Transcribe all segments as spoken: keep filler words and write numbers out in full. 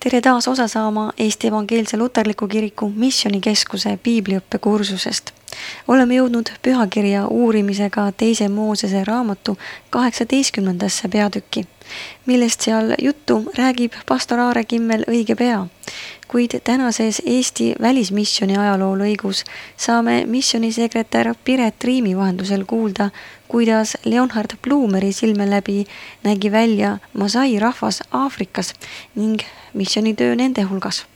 tere taas osa saama Eesti Evangeelse Luterliku Kiriku Missionikeskuse piibliõppekursusest. Oleme jõudnud pühakirja uurimisega teise Moosese raamatu kaheksateistkümnendasse peatükki, millest seal juttu räägib pastor Aare Kimmel õige pea. Kuid tänases Eesti välismissioni ajaloo lõigus saame missionisekretär Piret Riimi vahendusel kuulda, kuidas Leonhard Blumeri silme läbi nägi välja Masai rahvas Aafrikas ning missionitöö nende hulgas.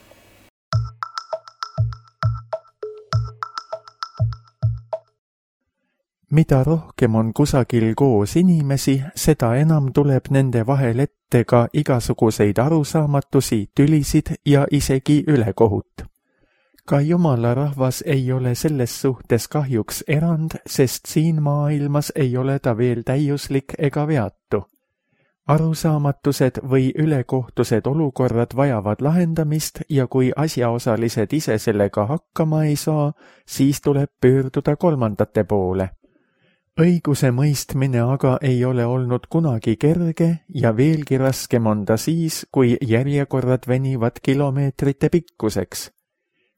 Mida rohkem on kusagil koos inimesi, seda enam tuleb nende vahel ette ka igasuguseid arusaamatusi, tülisid ja isegi ülekohut. Ka Jumala rahvas ei ole selles suhtes kahjuks erand, sest siin maailmas ei ole ta veel täiuslik ega veatu. Arusaamatused või ülekohtused olukorrad vajavad lahendamist ja kui asjaosalised ise sellega hakkama ei saa, siis tuleb pöörduda kolmandate poole. Õiguse mõistmine aga ei ole olnud kunagi kerge ja veelgi raskem on ta siis, kui järjekorrad venivad kilomeetrite pikkuseks.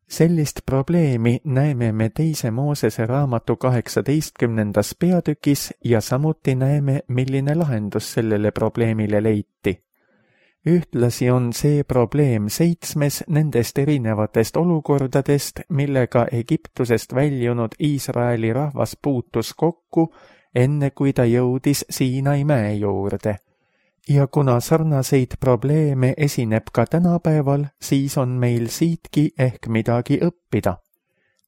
Sellist probleemi näeme me teise Moosese raamatu kaheksateistkümnendas peatükis ja samuti näeme, milline lahendus sellele probleemile leiti. Ühtlasi on see probleem seitsmes nendest erinevatest olukordadest, millega Egiptusest väljunud Iisraeli rahvas puutus kokku, enne kui ta jõudis Siinai mäe juurde. Ja kuna sarnaseid probleeme esineb ka tänapäeval, siis on meil siitki ehk midagi õppida.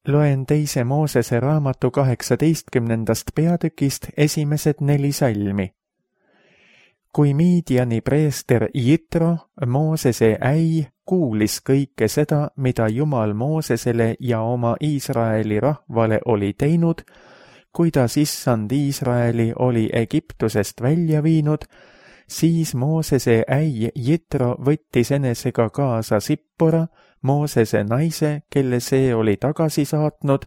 Loen teise Moosese raamatu kaheksateistkümnendast peatükist esimesed neli salmi. Kui Midiani preester Jitro, Moosese äi, kuulis kõike seda, mida Jumal Moosesele ja oma Iisraeli rahvale oli teinud, kuidas issand Iisraeli oli Egiptusest välja viinud, siis Moosese äi Jitro võttis enesega kaasa Sippora, Moosese naise, kelle see oli tagasi saatnud,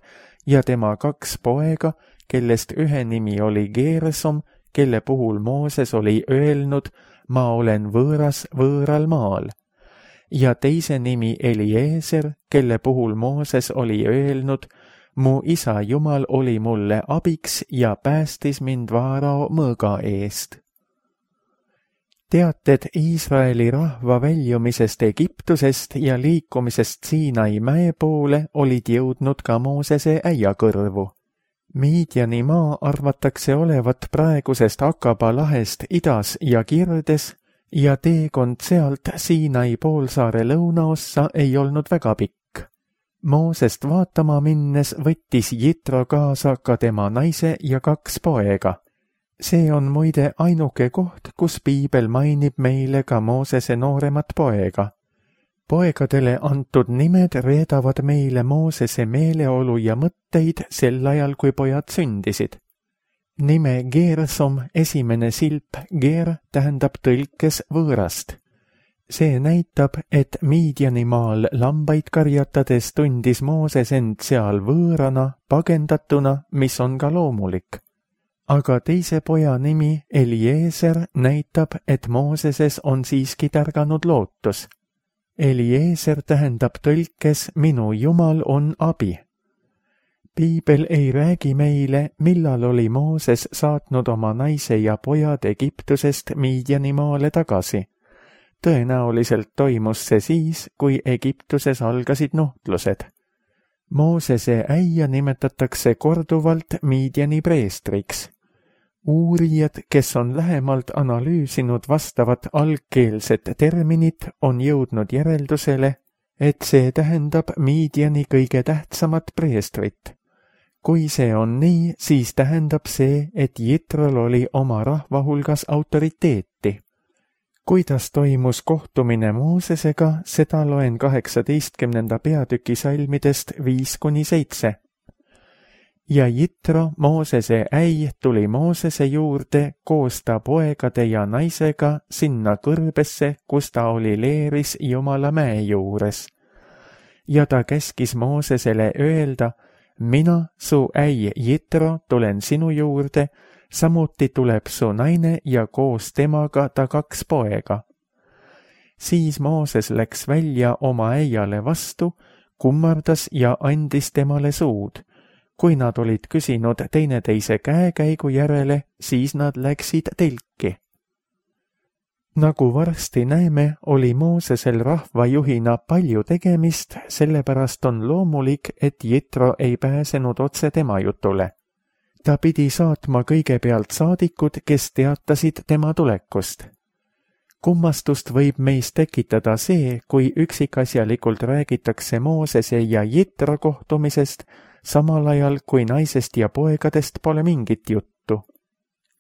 ja tema kaks poega, kellest ühe nimi oli Geersom, kelle puhul Mooses oli öelnud, ma olen võõras võõral maal. Ja teise nimi Eliezer, kelle puhul Mooses oli öelnud, mu isa Jumal oli mulle abiks ja päästis mind Vaarao mõõga eest. Teated Iisraeli rahva väljumisest Egiptusest ja liikumisest Siinai mäe poole olid jõudnud ka Moosese äia kõrvu. Midiani maa arvatakse olevat praegusest Akaba lahest idas ja kirdes ja teekond sealt Siinai poolsaare lõunaossa ei olnud väga pikk. Moosest vaatama minnes võttis Jitro kaasa ka tema naise ja kaks poega. See on muide ainuke koht, kus piibel mainib meile ka Moosese nooremat poega. Poegadele antud nimed reedavad meile Moosese meeleolu ja mõtteid sel ajal, kui pojad sündisid. Nime Geersom, esimene silp Geer, tähendab tõlkes võõrast. See näitab, et Midiani maal lambaid karjatades tundis Mooses end seal võõrana, pagendatuna, mis on ka loomulik. Aga teise poja nimi Eliezer näitab, et Mooseses on siiski tärganud lootus. Eliezer tähendab tõlkes minu Jumal on abi. Piibel ei räägi meile, millal oli Mooses saatnud oma naise ja pojad Egiptusest Midiani maale tagasi. Tõenäoliselt toimus see siis, kui Egiptuses algasid nuhtlused. Moosese äia nimetatakse korduvalt Midiani preestriks. Uurijad, kes on lähemalt analüüsinud vastavat algkeelset terminit, on jõudnud järeldusele, et see tähendab Midiani kõige tähtsamat preestrit. Kui see on nii, siis tähendab see, et Jitrol oli oma rahva hulgas autoriteeti. Kuidas toimus kohtumine Moosesega, seda loen kaheksateistkümnenda peatüki salmidest viis kuni seitse. Ja Jitro, Moosese äi, tuli Moosese juurde koos ta poegade ja naisega sinna kõrbesse, kus ta oli leeris Jumala mäe juures. Ja ta käskis Moosesele öelda, mina, su äi Jitro, tulen sinu juurde, samuti tuleb su naine ja koos temaga ta kaks poega. Siis Mooses läks välja oma äiale vastu, kummardas ja andis temale suud. Kui nad olid küsinud teineteise käekäigu järele, siis nad läksid telki. Nagu varsti näeme, oli Moosesel rahvajuhina palju tegemist, sellepärast on loomulik, et Jitro ei pääsenud otse tema jutule. Ta pidi saatma kõigepealt saadikud, kes teatasid tema tulekust. Kummastust võib meis tekitada see, kui üksikasjalikult räägitakse Moosese ja Jitro kohtumisest, samal ajal kui naisest ja poegadest pole mingit juttu.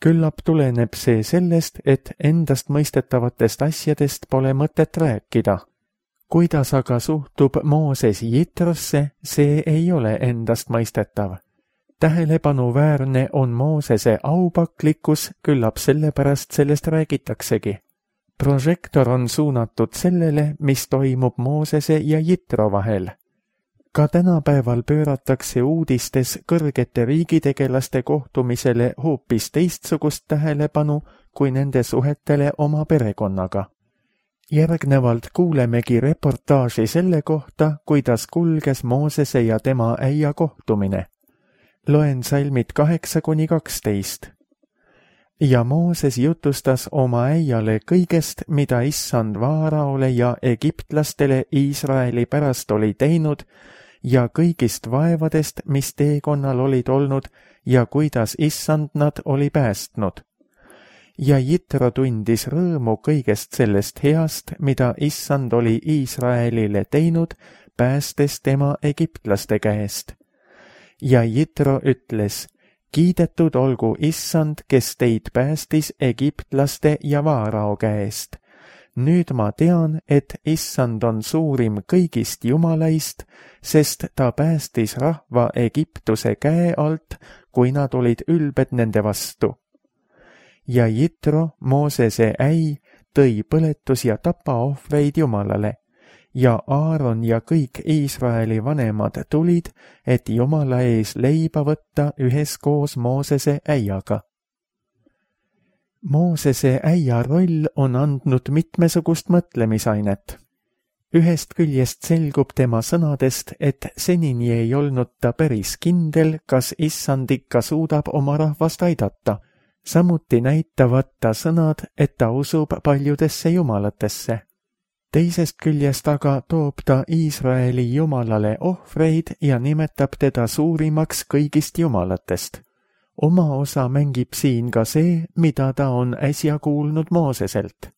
Küllap tuleneb see sellest, et endast mõistetavatest asjadest pole mõtet rääkida. Kuidas aga suhtub Mooses Jitrosse, see ei ole endast mõistetav. Tähelepanuväärne on Moosese aupaklikkus, küllap sellepärast sellest räägitaksegi. Prožektor on suunatud sellele, mis toimub Moosese ja Jitro vahel. Ka tänapäeval pööratakse uudistes kõrgete riigitegelaste kohtumisele hoopis teistsugust tähelepanu kui nende suhetele oma perekonnaga. Järgnevalt kuulemegi reportaaži selle kohta, kuidas kulges Moosese ja tema äia kohtumine. Loen salmid kaheksa kuni kaksteist. Ja Mooses jutustas oma äiale kõigest, mida issand Vaaraole ja egiptlastele Iisraeli pärast oli teinud, ja kõigist vaevadest, mis teekonnal olid olnud ja kuidas issand nad oli päästnud. Ja Jitro tundis rõõmu kõigest sellest heast, mida issand oli Iisraelile teinud, päästes tema egiptlaste käest. Ja Jitro ütles, kiidetud olgu issand, kes teid päästis egiptlaste ja Vaarao käest. Nüüd ma tean, et issand on suurim kõigist jumalaist, sest ta päästis rahva Egiptuse käe alt, kui nad olid ülbed nende vastu. Ja Jitro, Moosese äi, tõi põletus- ja tapaohvreid Jumalale, ja Aaron ja kõik Iisraeli vanemad tulid, et Jumala ees leiba võtta üheskoos Moosese äiaga. Moosese äia roll on andnud mitmesugust mõtlemisainet. Ühest küljest selgub tema sõnadest, et senini ei olnud ta päris kindel, kas issand ikka suudab oma rahvast aidata. Samuti näitavad ta sõnad, et ta usub paljudesse jumalatesse. Teisest küljest aga toob ta Iisraeli jumalale ohvreid ja nimetab teda suurimaks kõigist jumalatest. Oma osa mängib siin ka see, mida ta on äsja kuulnud Mooseselt.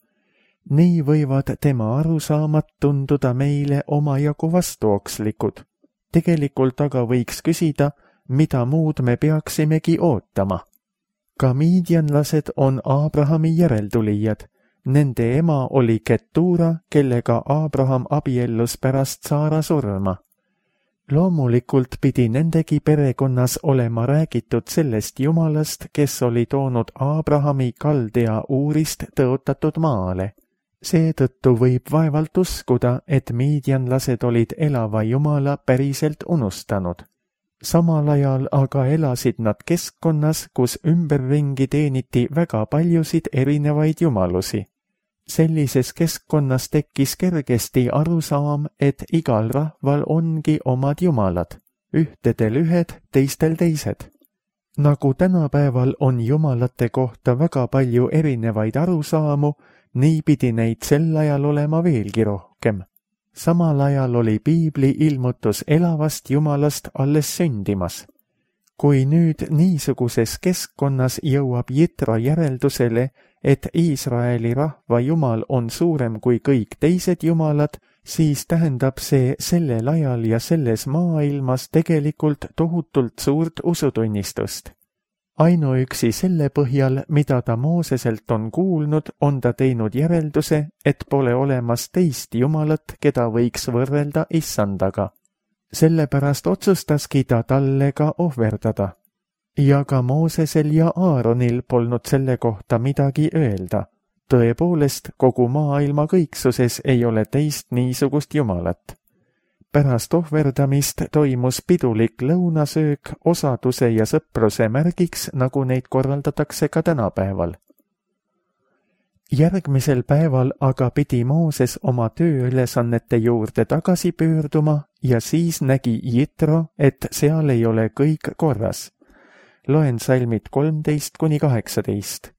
Nii võivad tema arusaamad tunduda meile omajagu vastuokslikud. Tegelikult aga võiks küsida, mida muud me peaksimegi ootama. Ka miidjanlased on Aabrahami järeltulijad. Nende ema oli Ketura, kellega Aabraham abiellus pärast Saara surma. Loomulikult pidi nendegi perekonnas olema räägitud sellest jumalast, kes oli toonud Aabrahami Kaldea Uurist tõotatud maale. Seetõttu võib vaevalt uskuda, et miidjanlased olid elava jumala päriselt unustanud. Samal ajal aga elasid nad keskkonnas, kus ümberringi teeniti väga paljusid erinevaid jumalusi. Sellises keskkonnas tekkis kergesti arusaam, et igal rahval ongi omad jumalad, ühtedel ühed, teistel teised. Nagu tänapäeval on jumalate kohta väga palju erinevaid arusaamu, nii pidi neid sel ajal olema veelgi rohkem. Samal ajal oli piibli ilmutus elavast jumalast alles sündimas. Kui nüüd niisuguses keskkonnas jõuab Jitro järeldusele, et Iisraeli rahva jumal on suurem kui kõik teised jumalad, siis tähendab see sellel ajal ja selles maailmas tegelikult tohutult suurt usutunnistust. Ainuüksi selle põhjal, mida ta Mooseselt on kuulnud, on ta teinud järelduse, et pole olemas teist jumalat, keda võiks võrrelda issandaga. Sellepärast otsustaski ta talle ka ohverdada. Ja ka Moosesel ja Aaronil polnud selle kohta midagi öelda. Tõepoolest, kogu maailma kõiksuses ei ole teist niisugust jumalat. Pärast ohverdamist toimus pidulik lõunasöök osaduse ja sõpruse märgiks, nagu neid korraldatakse ka tänapäeval. Järgmisel päeval aga pidi Mooses oma tööülesannete juurde tagasi pöörduma ja siis nägi Jitro, et seal ei ole kõik korras. Loen salmid kolmteist kuni kaheksateist.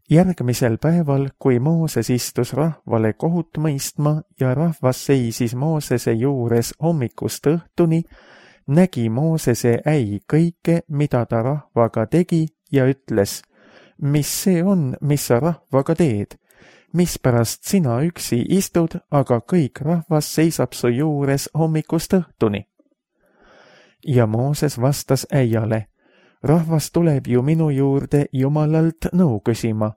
Järgmisel päeval, kui Mooses istus rahvale kohut mõistma ja rahvas seisis Moosese juures hommikust õhtuni, nägi Moosese äi kõike, mida ta rahvaga tegi ja ütles: mis see on, mis sa rahvaga teed? Mispärast sina üksi istud, aga kõik rahvas seisab su juures hommikust õhtuni? Ja Mooses vastas äiale: rahvas tuleb ju minu juurde Jumalalt nõu küsima.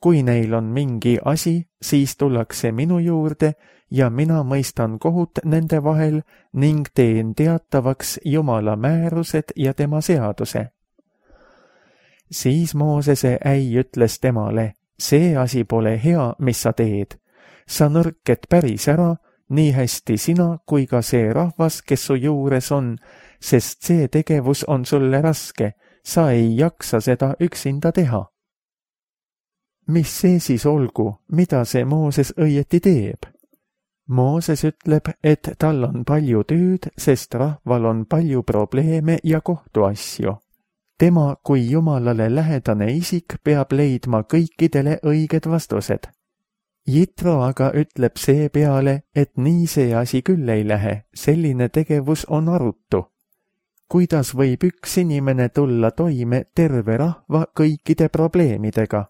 Kui neil on mingi asi, siis tullakse minu juurde ja mina mõistan kohut nende vahel ning teen teatavaks Jumala määrused ja tema seaduse. Siis Moosese äi ütles temale: see asi pole hea, mis sa teed. Sa nõrked päris ära, nii hästi sina kui ka see rahvas, kes su juures on, sest see tegevus on sulle raske, sa ei jaksa seda üksinda teha. Mis see siis olgu, mida see Mooses õieti teeb? Mooses ütleb, et tal on palju tööd, sest rahval on palju probleeme ja kohtuasju. Tema kui Jumalale lähedane isik peab leidma kõikidele õiged vastused. Jitro aga ütleb seepeale, et nii see asi küll ei lähe, selline tegevus on arutu. Kuidas võib üks inimene tulla toime terve rahva kõikide probleemidega?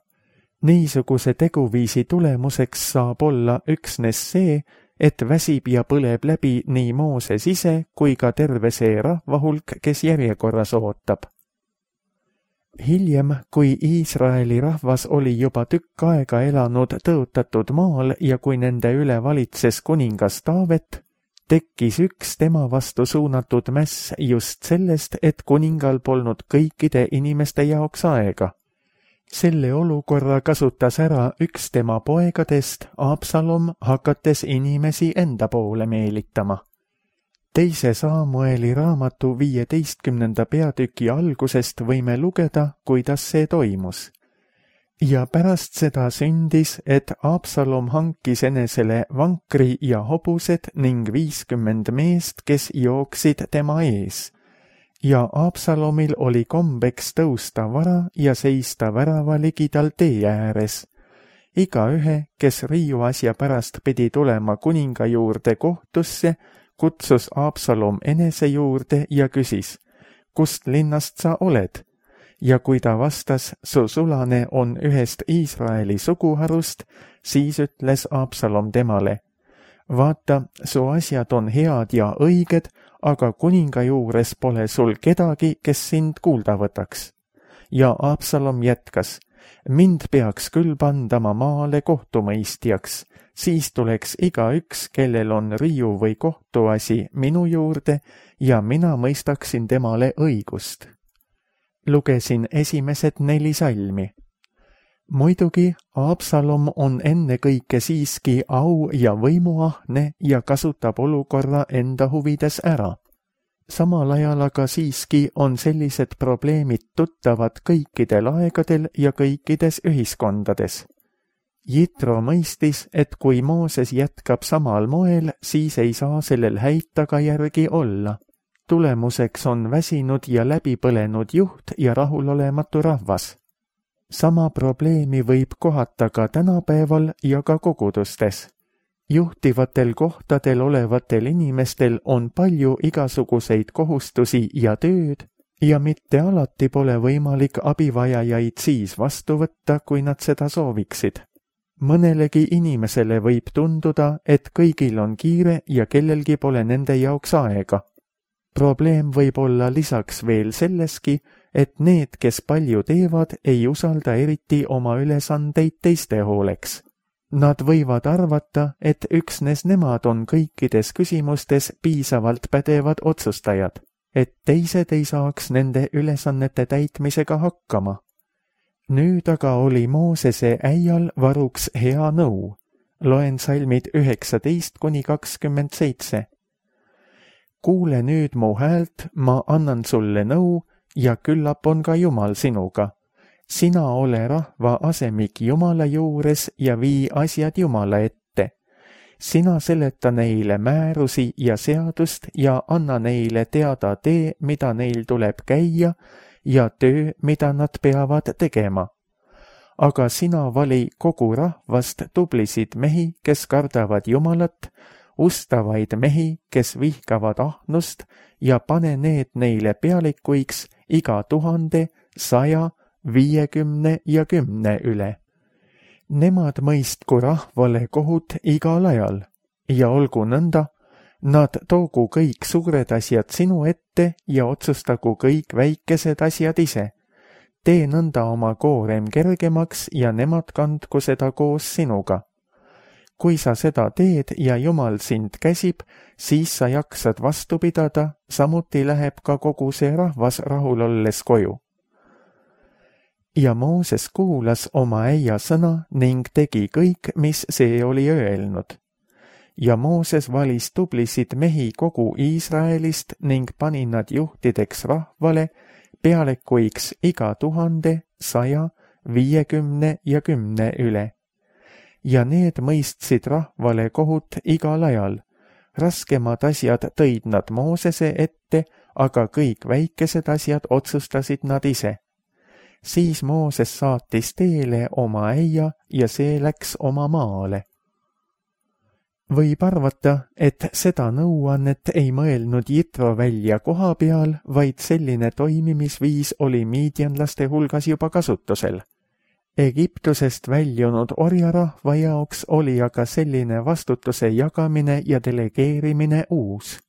Niisuguse teguviisi tulemuseks saab olla üksnes see, et väsib ja põleb läbi nii Mooses ise kui ka terve see rahvahulk, kes järjekorras ootab. Hiljem, kui Iisraeli rahvas oli juba tükk aega elanud tõotatud maal ja kui nende üle valitses kuningas Taavet, tekkis üks tema vastu suunatud mäss just sellest, et kuningal polnud kõikide inimeste jaoks aega. Selle olukorra kasutas ära üks tema poegadest, Absalom, hakates inimesi enda poole meelitama. Teise Saamueli raamatu viieteistkümnenda peatüki algusest võime lugeda, kuidas see toimus. Ja pärast seda sündis, et Absalom hankis enesele vankri ja hobused ning viiskümmend meest, kes jooksid tema ees. Ja Absalomil oli kombeks tõusta vara ja seista värava ligidal tee ääres. Igaühe, kes riiuasja pärast pidi tulema kuninga juurde kohtusse, kutsus Absalom enese juurde ja küsis: kust linnast sa oled? Ja kui ta vastas, su sulane on ühest Iisraeli suguharust, siis ütles Absalom temale: vaata, su asjad on head ja õiged, aga kuninga juures pole sul kedagi, kes sind kuulda võtaks. Ja Absalom jätkas: mind peaks küll pandama maale kohtumõistjaks, siis tuleks igaüks, kellel on riiu või kohtuasi, minu juurde ja mina mõistaksin temale õigust. Lugesin esimesed neli salmi. Muidugi, Absalom on ennekõike siiski au- ja võimuahne ja kasutab olukorra enda huvides ära. Samal ajal aga siiski on sellised probleemid tuttavad kõikidel aegadel ja kõikides ühiskondades. Jitro mõistis, et kui Mooses jätkab samal moel, siis ei saa sellel häid tagajärgi olla. Tulemuseks on väsinud ja läbipõlenud juht ja rahulolematu rahvas. Sama probleemi võib kohata ka tänapäeval ja ka kogudustes. Juhtivatel kohtadel olevatel inimestel on palju igasuguseid kohustusi ja tööd ja mitte alati pole võimalik abivajajaid siis vastu võtta, kui nad seda sooviksid. Mõnelegi inimesele võib tunduda, et kõigil on kiire ja kellelgi pole nende jaoks aega. Probleem võib olla lisaks veel selleski, et need, kes palju teevad, ei usalda eriti oma ülesandeid teiste hooleks. Nad võivad arvata, et üksnes nemad on kõikides küsimustes piisavalt pädevad otsustajad, et teised ei saaks nende ülesannete täitmisega hakkama. Nüüd aga oli Moosese äial varuks hea nõu. Loen salmid üheksateist kuni kakskümmend seitse. Kuule nüüd mu häält, ma annan sulle nõu ja küllap on ka Jumal sinuga. sina ole rahva asemik Jumala juures ja vii asjad Jumala ette. Sina seleta neile määrusi ja seadust ja anna neile teada tee, mida neil tuleb käia ja töö, mida nad peavad tegema. Aga sina vali kogu rahvast tublisid mehi, kes kardavad Jumalat, ustavaid mehi, kes vihkavad ahnust ja pane need neile pealikuiks iga tuhande, saja, viiekümne ja kümne üle. Nemad mõistku rahvale kohut igal ajal ja olgu nõnda, nad toogu kõik suured asjad sinu ette ja otsustagu kõik väikesed asjad ise. Tee nõnda oma koorem kergemaks ja nemad kandku seda koos sinuga. Kui sa seda teed ja Jumal sind käsib, siis sa jaksad vastu pidada, samuti läheb ka kogu see rahvas rahul olles koju. Ja Mooses kuulas oma äia sõna ning tegi kõik, mis see oli öelnud. Ja Mooses valis tublisid mehi kogu Iisraelist ning pani nad juhtideks rahvale, pealekuiks iga tuhande, saja, viiekümne ja kümne üle. Ja need mõistsid rahvale kohut igal ajal. Raskemad asjad tõid nad Moosese ette, aga kõik väikesed asjad otsustasid nad ise. Siis Mooses saatis teele oma äia ja see läks oma maale. Võib arvata, et seda nõuannet ei mõelnud Jitro välja koha peal, vaid selline toimimisviis oli miidianlaste hulgas juba kasutusel. Egiptusest väljunud orjarahva jaoks oli aga selline vastutuse jagamine ja delegeerimine uus.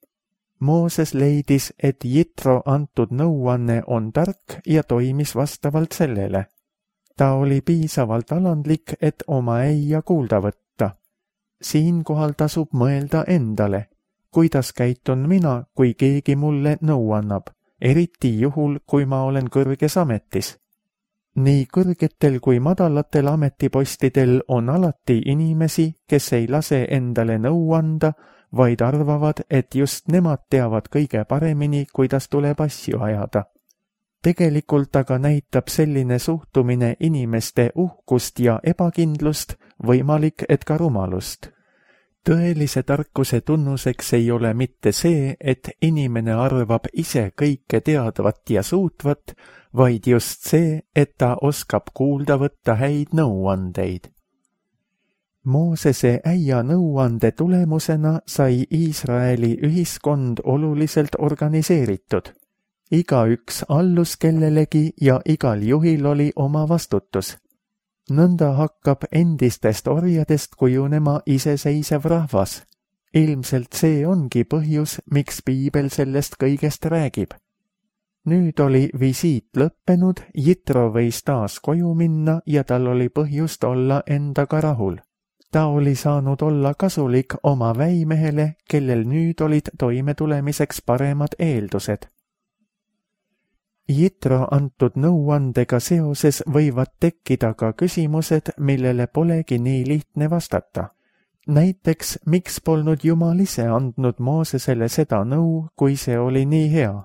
Mooses leidis, et Jitro antud nõuanne on tark ja toimis vastavalt sellele. Ta oli piisavalt alandlik, et oma äia kuulda võtta. Siinkohal tasub mõelda endale, kuidas käitun mina, kui keegi mulle nõu annab, eriti juhul, kui ma olen kõrges ametis. Nii kõrgetel kui madalatel ametipostidel on alati inimesi, kes ei lase endale nõu anda, vaid arvavad, et just nemad teavad kõige paremini, kuidas tuleb asju ajada. Tegelikult aga näitab selline suhtumine inimeste uhkust ja ebakindlust, võimalik, et ka rumalust. Tõelise tarkuse tunnuseks ei ole mitte see, et inimene arvab ise kõike teadvat ja suutvat, vaid just see, et ta oskab kuulda võtta häid nõuandeid. Moosese äia nõuande tulemusena sai Iisraeli ühiskond oluliselt organiseeritud. Igaüks allus kellelegi ja igal juhil oli oma vastutus. Nõnda hakkab endistest orjadest kujunema iseseisev rahvas. Ilmselt see ongi põhjus, miks piibel sellest kõigest räägib. Nüüd oli visiit lõppenud, Jitro võis taas koju minna ja tal oli põhjust olla endaga rahul. Ta oli saanud olla kasulik oma väimehele, kellel nüüd olid toimetulemiseks paremad eeldused. Jitro antud nõuandega seoses võivad tekkida ka küsimused, millele polegi nii lihtne vastata. Näiteks, miks polnud Jumal ise andnud Moosesele seda nõu, kui see oli nii hea?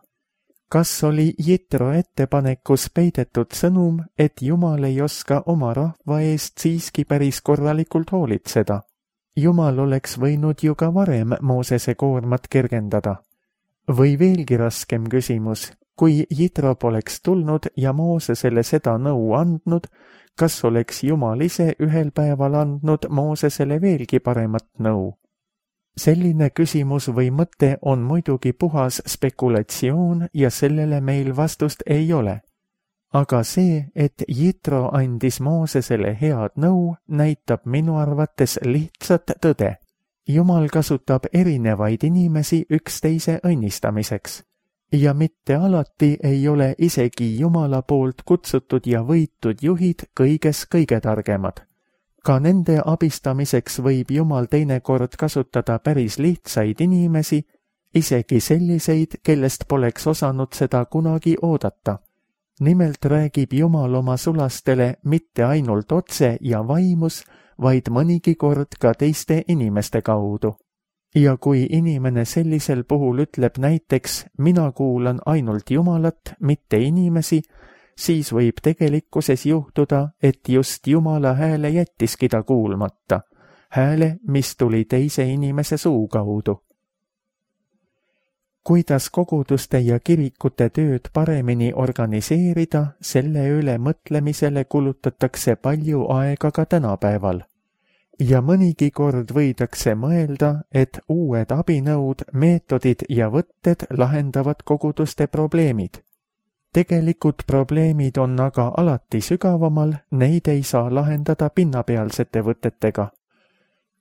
Kas oli Jitro ettepanekus peidetud sõnum, et Jumal ei oska oma rahva eest siiski päris korralikult hoolitseda? Jumal oleks võinud ju ka varem Moosese koormat kergendada. Või veelgi raskem küsimus, kui Jitro poleks tulnud ja Moosesele seda nõu andnud, kas oleks Jumal ise ühel päeval andnud Moosesele veelgi paremat nõu? Selline küsimus või mõte on muidugi puhas spekulatsioon ja sellele meil vastust ei ole. Aga see, et Jitro andis Moosesele head nõu, näitab minu arvates lihtsat tõde. Jumal kasutab erinevaid inimesi üksteise õnnistamiseks. Ja mitte alati ei ole isegi Jumala poolt kutsutud ja võitud juhid kõiges kõige targemad. Ka nende abistamiseks võib Jumal teinekord kasutada päris lihtsaid inimesi, isegi selliseid, kellest poleks osanud seda kunagi oodata. Nimelt räägib Jumal oma sulastele mitte ainult otse ja vaimus, vaid mõnigi kord ka teiste inimeste kaudu. Ja kui inimene sellisel puhul ütleb näiteks, mina kuulan ainult Jumalat, mitte inimesi, siis võib tegelikkuses juhtuda, et just Jumala hääle jättiski ta kuulmata, hääle, mis tuli teise inimese suu kaudu. Kuidas koguduste ja kirikute tööd paremini organiseerida, selle üle mõtlemisele kulutatakse palju aega ka tänapäeval. Ja mõnigi kord võidakse mõelda, et uued abinõud, meetodid ja võtted lahendavad koguduste probleemid. Tegelikult probleemid on aga alati sügavamal, neid ei saa lahendada pinnapealsete võtetega.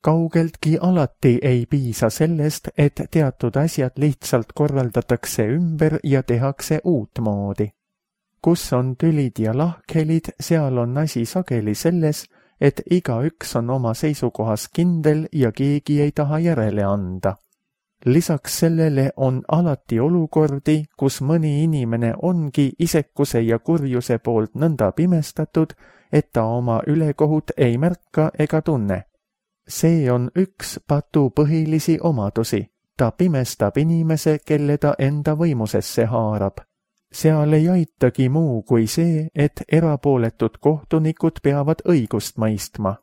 Kaugeltki alati ei piisa sellest, et teatud asjad lihtsalt korraldatakse ümber ja tehakse uutmoodi. Kus on tülid ja lahkhelid, seal on asi sageli selles, et igaüks on oma seisukohas kindel ja keegi ei taha järele anda. Lisaks sellele on alati olukordi, kus mõni inimene ongi isekuse ja kurjuse poolt nõnda pimestatud, et ta oma ülekohut ei märka ega tunne. See on üks patu põhilisi omadusi. Ta pimestab inimese, kelle ta enda võimusesse haarab. Seal ei aitagi muu kui see, et erapooletud kohtunikud peavad õigust mõistma.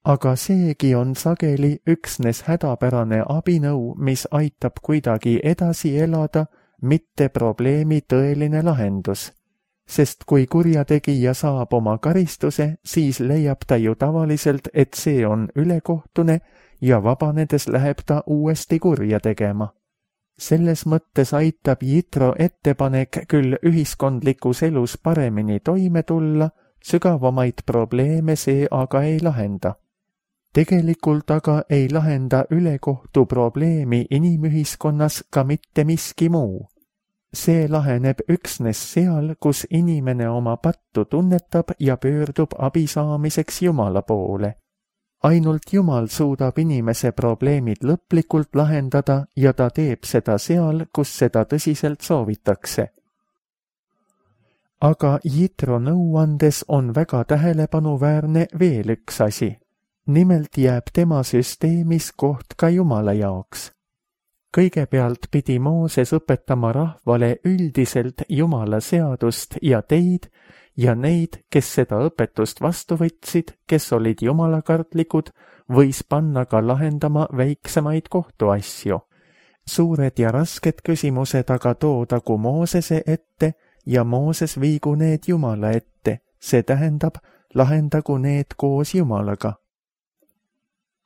Aga seegi on sageli üksnes hädapärane abinõu, mis aitab kuidagi edasi elada, mitte probleemi tõeline lahendus. Sest kui kurjategija saab oma karistuse, siis leiab ta ju tavaliselt, et see on ülekohtune ja vabanedes läheb ta uuesti kurja tegema. Selles mõttes aitab Jitro ettepanek küll ühiskondlikus elus paremini toime tulla, sügavamaid probleeme see aga ei lahenda. Tegelikult aga ei lahenda ülekohtu probleemi inimühiskonnas ka mitte miski muu. See laheneb üksnes seal, kus inimene oma pattu tunnetab ja pöördub abi saamiseks Jumala poole. Ainult Jumal suudab inimese probleemid lõplikult lahendada ja ta teeb seda seal, kus seda tõsiselt soovitakse. Aga Jitro nõuandes on väga tähelepanuväärne veel üks asi. Nimelt jääb tema süsteemis koht ka Jumala jaoks. Kõigepealt pidi Mooses õpetama rahvale üldiselt Jumala seadust ja teid ja neid, kes seda õpetust vastu võtsid, kes olid jumalakartlikud, võis panna ka lahendama väiksemaid kohtuasju. Suured ja rasked küsimused aga toodagu Moosese ette ja Mooses viigu need Jumala ette, see tähendab, lahendagu need koos Jumalaga.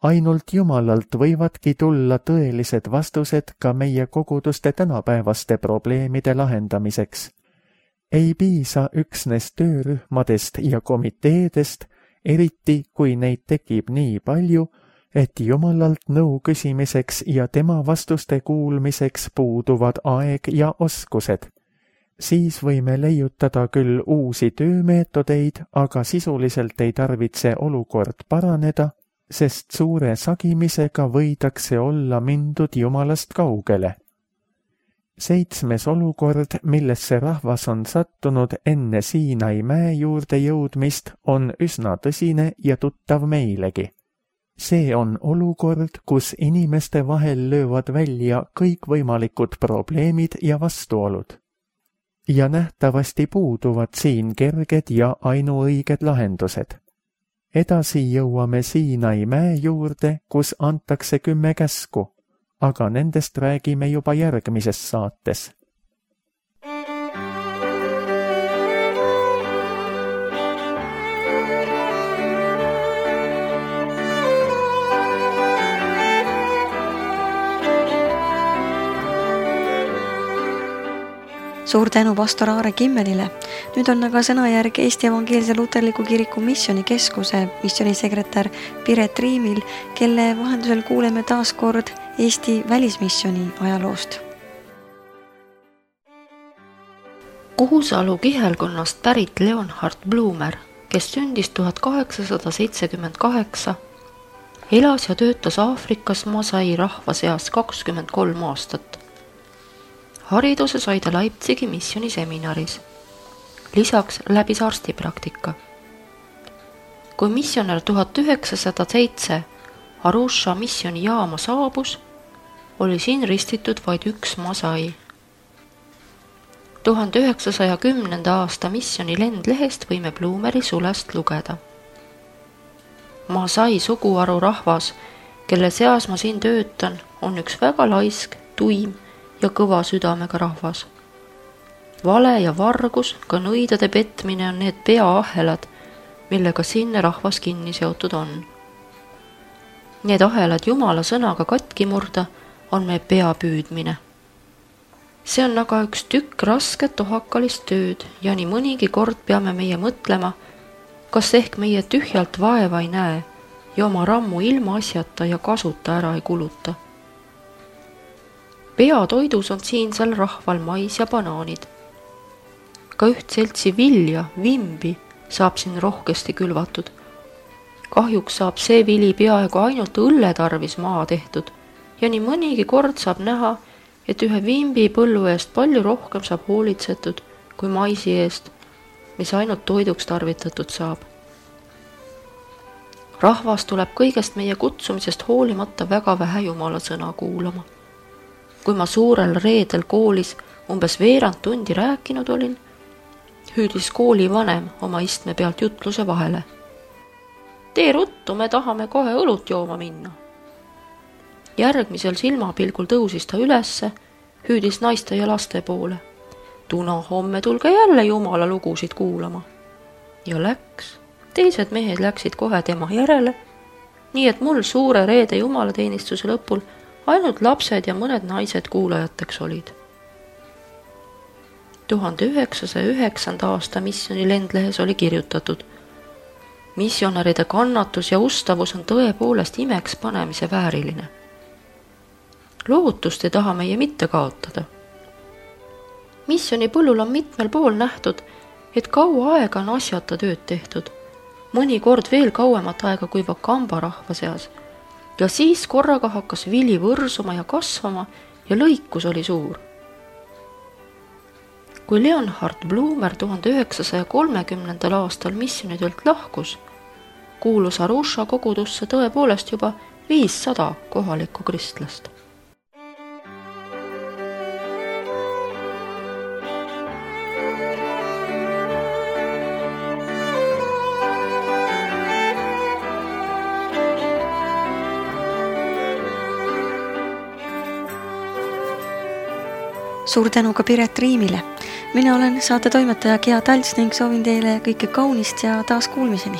Ainult Jumalalt võivadki tulla tõelised vastused ka meie koguduste tänapäevaste probleemide lahendamiseks. Ei piisa üksnes töörühmadest ja komiteedest, eriti kui neid tekib nii palju, et Jumalalt nõu küsimiseks ja tema vastuste kuulmiseks puuduvad aeg ja oskused. Siis võime leiutada küll uusi töömeetodeid, aga sisuliselt ei tarvitse olukord paraneda, sest suure sagimisega võidakse olla mindud Jumalast kaugele. Seitsmes olukord, millesse rahvas on sattunud enne Siinai mäe juurde jõudmist, on üsna tõsine ja tuttav meilegi. See on olukord, kus inimeste vahel löövad välja kõikvõimalikud probleemid ja vastuolud. Ja nähtavasti puuduvad siin kerged ja ainuõiged lahendused. Edasi jõuame Siinai mäe juurde, kus antakse kümme käsku, aga nendest räägime juba järgmises saates. Suur tänu pastor Aare Kimmelile. Nüüd on aga sõnajärg Eesti Evangeelse Luterliku Kiriku Missioonikeskuse missioonisekretär Piret Riimil, kelle vahendusel kuuleme taas kord Eesti välismissiooni ajaloost. Kuhusalu kihelkonnast pärit Leonhard Blumer, kes sündis tuhat kaheksasada seitsekümmend kaheksa, elas ja töötas Aafrikas Masai rahva seas kakskümmend kolm aastat. Hariduse sai ta Leipzigi missiooniseminaris. Lisaks läbis arstipraktika. Kui missionär tuhat üheksasada seitse Arusha missioonijaama saabus, oli siin ristitud vaid üks Masai. tuhande üheksasaja kümnenda aasta misjoni lendlehest võime Blumeri sulest lugeda. Masai suguharu rahvas, kelle seas ma siin töötan, on üks väga laisk, tuim ja kõva südamega rahvas. Vale ja vargus, ka nõidade petmine on need peaahelad, millega sinne rahvas kinni seotud on. Need ahelad Jumala sõnaga katki murda on meie pea püüdmine. See on aga üks tükk rasket ohakalist tööd ja nii mõnigi kord peame meie mõtlema, kas ehk meie tühjalt vaeva ei näe ja oma rammu ilma asjata ja kasuta ära ei kuluta. Peatoidus on siinsel rahval mais ja banaanid. Ka üht seltsi vilja, vimbi, saab siin rohkesti külvatud. Kahjuks saab see vili peaaegu ainult õlle tarvis maa tehtud ja nii mõnigi kord saab näha, et ühe vimbi põllu eest palju rohkem saab hoolitsetud kui maisi eest, mis ainult toiduks tarvitatud saab. Rahvas tuleb kõigest meie kutsumisest hoolimata väga vähe Jumala sõna kuulama. Kui ma suurel reedel koolis umbes veerand tundi rääkinud olin, hüüdis kooli vanem oma istme pealt jutluse vahele. Tee ruttu, me tahame kohe õlut jooma minna. Järgmisel silmapilgul tõusis ta ülesse, hüüdis naiste ja laste poole. Tuna homme tulge jälle Jumala lugusid kuulama. Ja läks. Teised mehed läksid kohe tema järele, nii et mul suure reede jumalateenistuse lõpul ainult lapsed ja mõned naised kuulajateks olid. tuhande üheksasaja üheksanda aasta misjoni lendlehes oli kirjutatud: missionäride kannatus ja ustavus on tõepoolest imeks panemise vääriline. Lootust ei taha meie mitte kaotada. Misjoni põllul on mitmel pool nähtud, et kaua aega on asjata tööd tehtud, mõni kord veel kauemat aega kui Vakamba rahva seas, ja siis korraga hakkas vili võrsuma ja kasvama ja lõikus oli suur. Kui Leonhard Blumer tuhande üheksasaja kolmekümnendal aastal misjonitöölt lahkus, kuulus Arusha kogudusse tõepoolest juba viissada kohalikku kristlast. Suur tänu ka Piret Riimile. Mina olen saate toimetaja Gea Talts ning soovin teile kõike kaunist ja taas kuulmiseni.